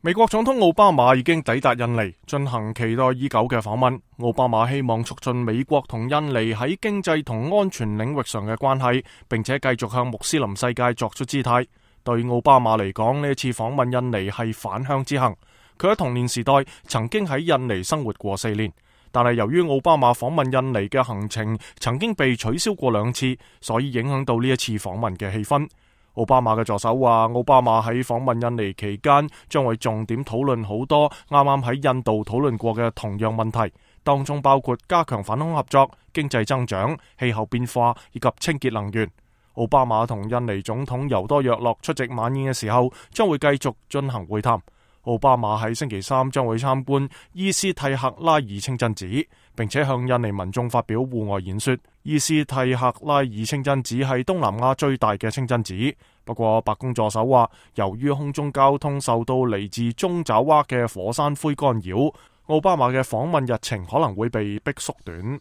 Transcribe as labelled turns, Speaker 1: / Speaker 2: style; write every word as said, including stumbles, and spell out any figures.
Speaker 1: 美國總統奧巴馬已經抵達印尼，進行期待已久嘅訪問。奧巴馬希望促進美國同印尼喺經濟同安全領域上嘅關係，並且繼續向穆斯林世界作出姿態。對奧巴馬嚟講，呢一次訪問印尼係返鄉之行。佢喺童年時代曾經喺印尼生活過四年，但係由於奧巴馬訪問印尼嘅行程曾經被取消過兩次，所以影響到呢一次訪問嘅氣氛。奧巴馬嘅助手話，奧巴馬喺訪問印尼期間將會重點討論好多啱啱喺印度討論過嘅同樣問題，當中包括加強反恐合作、經濟增長、氣候變化以及清潔能源。奧巴馬同印尼總統尤多約洛出席晚宴嘅時候，將會繼續進行會談。奧巴馬喺星期三將會參觀伊斯蒂克拉爾清真寺，並且向印尼民眾發表戶外演說。伊斯蒂克拉爾清真寺係東南亞最大嘅清真寺，不過白宮助手話，由於空中交通受到嚟自中爪哇嘅火山灰干擾，奧巴馬嘅訪問日程可能會被逼縮短。